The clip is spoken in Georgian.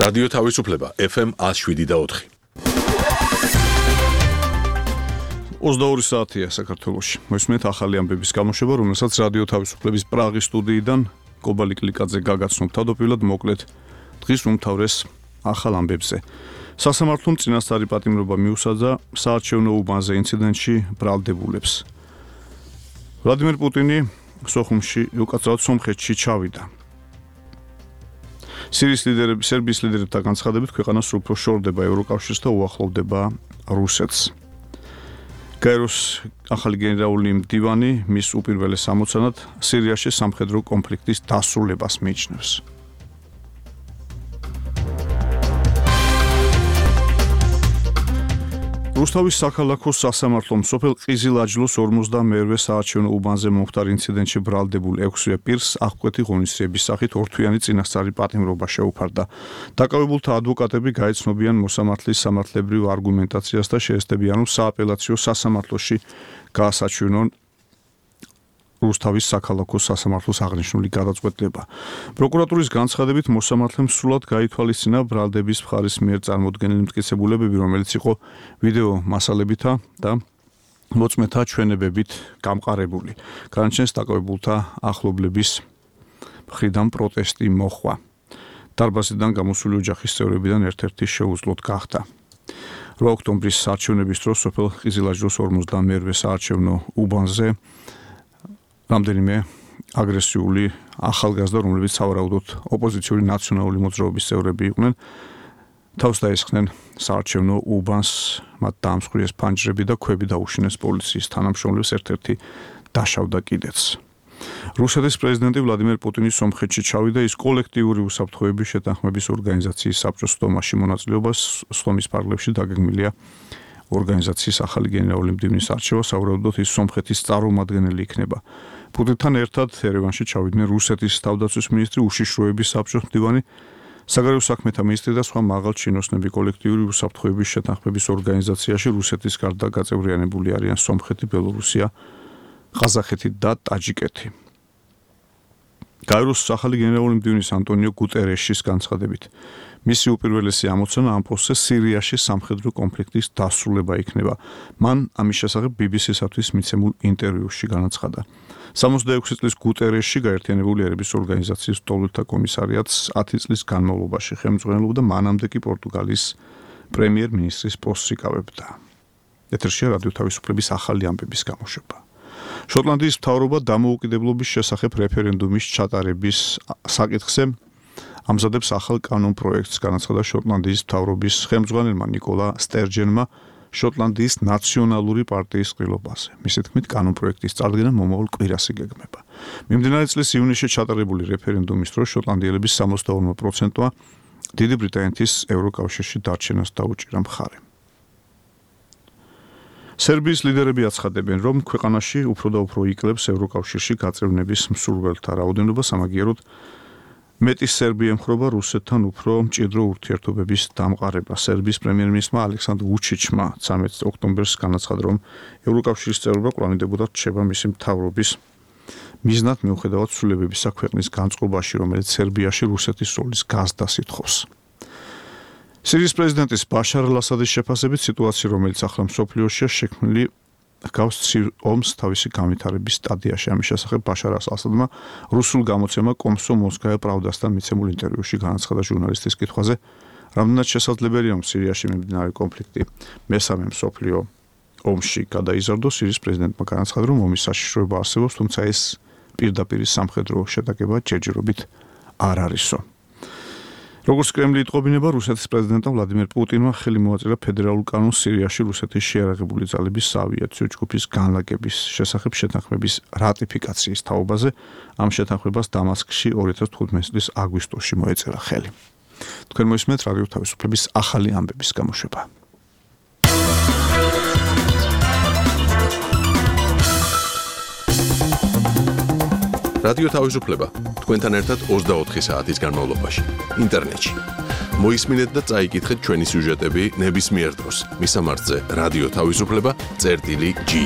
რადიო თავისუფლება FM 107.4. 22 საათია საქართველოში. მოსმენთ ახალი ამბების გამოშვება, რომელსაც რადიო თავისუფლების პრაღის სტუდიიდან კობალი კლიკაძე გაგაცნობ. თავდაპირველად მოკლედ დღის უმთავრეს ახალ ამბებზე. სასამართლომ წინასწარი პატიმრობა მიუსაჯა საარჩევნო უბანზე ინციდენტში ბრალდებულებს. ვლადიმერ პუტინი სომხეთში ჩავიდა. სერბიის ლიდერებთან განცხადებით ქვეყანა სულ უფრო შორდება ევროკავშირს და უახლოვდება რუსეთს. გაეროს ახალი გენერალური მდივანი მის უპირველეს ამოცანად სირიაში სამხედრო კონფლიქტის დასრულებას მიიჩნევს. რუსთავის საქალაქო სასამართლომ სოფელ ყიზილაჯლოს 52-ვე საარჩევნო უბანზე მომხდარ ინციდენტში ბრალდებულ 6-ვე პირს აღკვეთი ღონისძიების სახით ორთვიანი წინასწარი პატიმრობა შეუფარდა. დაკავებულთა ადვოკატები გაეცნობიან მოსამართლის სამართლებრივ არგუმენტაციას და შეესწებიან, რომ სააპელაციო სასამართლოში გაასაჩვენონ რუსთავის საქალაქო სასამართლოს აღნიშნული გადაწყვეტილება. პროკურატურის განცხადებით მოსამართლემ სრულად გაითვალისწინა ბრალდების მხარის მიერ წარმოდგენილი მტკიცებულებები, რომელიც იყო ვიდეო მასალებითა და მოწმეთა ჩვენებებით გამყარებული. განაჩენს დაკავებულთა ახლობლების მხრიდან პროტესტი მოხვა. დარბაზიდან გამოსული ოჯახის წევრებიდან ერთ-ერთი შეუძლოდ გახდა. 8 ოქტომბრის საარჩევნების დროს სოფელ ყიზილაჯლოს 52-ვე საარჩევნო უბანზე რამდენიმე აგრესიული ახალგაზრდა, რომლებიც სავარაუდოდ ოპოზიციური ნაციონალური მოძრაობის წევრები იყვნენ, თავს დაესხნენ საარჩევნო უბანს, მათ დაამსხვრიეს ფანჯრები და ქვები დაუშინეს პოლიციის თანამშრომლებს, ერთ-ერთი დასშავდა კიდეც. რუსეთის პრეზიდენტი ვლადიმერ პუტინი სომხეთში ჩავიდა, ის კოლექტიური უსაფრთხოების შეთანხმების ორგანიზაციის საბჭოს სტომაში მონაწილეობას სტომის პარლებში დაგეგმილია ორგანიზაციის ახალი გენერალური მდივნის არჩევა, სავარაუდოდ ის სომხეთის წარმომადგენელი იქნება. პუტინთან ერთად ერევანში ჩავიდნენ რუსეთის თავდაცვის მინისტრი, უშიშროების საბჭოს მდივანი, საგარეო საქმეთა მინისტრი და სხვა მაღალ ჩინოსნები. კოლექტიური უსაფრთხოების შეთანხმების ორგანიზაციაში რუსეთის გარდა გაწევრიანებული არიან სომხეთი, ბელორუსია, ყაზახეთი და ტაჯიკეთი. გაეროს ახალი გენერალური მდივნის ანტონიო გუტერეშის განცხადებით, მისი უპირველესი ამოცანა ამ პოსტზე სირიაში სამხედრო კონფლიქტის დასრულება იქნება. მან ამის შესახებ BBC-სათვის მიცემულ ინტერვიუში განაცხადა. 66 წლის გუტერეში გაერთიანებული ერების ორგანიზაციის მტოვლთა კომისარიატს 10 წლის განმავლობაში ხელმძღვანელობდა, მანამდე კი პორტუგალიის პრემიერ-მინისტრის პოსტს იკავებდა. ეთერშია რადიო თავისუფლების ახალი ამბების გამოშვება. შოტლანდიის მთავრობა დამოუკიდებლობის შესახებ რეფერენდუმის ჩატარების საკითხზე ამზადებს ახალ კანონ პროექტს, განაცხადა შოტლანდიის მთავრობის ხელმძღვანელმა ნიკოლა სტერჯენმა შოტლანდიის ნაციონალური პარტიის ყრილობაზე. მისი თქმით, კანონ პროექტის წარდგენა მომავალ კვირას იგეგმება. მიმდინარე წლის ივნისში ჩატარებული რეფერენდუმის დროს შოტლანდიელების 62%-მა დიდი ბრიტანეთის ევროკავშირში დარჩენას დაუჭირა მხარე. სერბიის ლიდერები აცხადებენ, რომ ქვეყანაში უფრო და უფრო იკლებს ევროკავშირში გაწევრების მსურველთა რაოდენობა, სამაგიეროდ მეტი სერბი ემხრობა რუსეთთან უფრო მჭიდრო ურთიერთობების დამყარება. სერბიის პრემიერ-მინისტრმა ალექსანდრ ვუჩიჩმა 13 ოქტომბერს განაცხადა, რომ ევროკავშირის წევრობა კვლავინდებოდა რჩება მისი მთავრობის მიზნად, მიუხედავად ცვლილებებისა ქვეყნის განწყობაში, რომელიც სერბიაში რუსეთის როლის გაზრდას ითხოვს. სირიის პრეზიდენტის ბაშარ ალ-ასადის შეფასებით სიტუაცია, რომელიც ახლა მსოფლიოშია შექმნილი, გავს ცივ ომს თავისი განვითარების სტადიაში. ამის შესახებ ბაშარ ალ-ასადმა რუსულ გამოცემა კომსომოლსკაია პრავდასთან მიცემულ ინტერვიუში განაცხადა ჟურნალისტის კითხვაზე, რამდენად შესაძლებელია, რომ სირიაში მიმდინარე კონფლიქტი მესამე მსოფლიო ომში გადაიზარდოს. სირიის პრეზიდენტმა განაცხადა, რომ ომის საშიშროება არსებობს, თუმცა ეს პირდაპირ სამხედრო შეტაკება ჯერჯერობით არ არისო. როგორც კრემლი იტყობინება, რუსეთის პრეზიდენტმა ვლადიმერ პუტინმა ხელი მოაწერა ფედერალურ კანონს სირიაში რუსეთის შეიარაღებული ძალების საავიაციო ჯგუფის განლაგების შესახებ შეთანხმების რატიფიკაციის თაობაზე. ამ შეთანხმებას დამასკში 2015 წლის აგვისტოში მოეწერა ხელი. თქვენ მოისმენთ რადიო თავისუფლების ახალი ამბების გამოშვება. რადიო თავისუფლება თქვენთან ერთად 24 საათის განმავლობაში ინტერნეტში. მოისმინეთ და წაიკითხეთ ჩვენი სიუჟეტები ნებისმიერ დროს. მისამართზე რადიო თავისუფლება.gi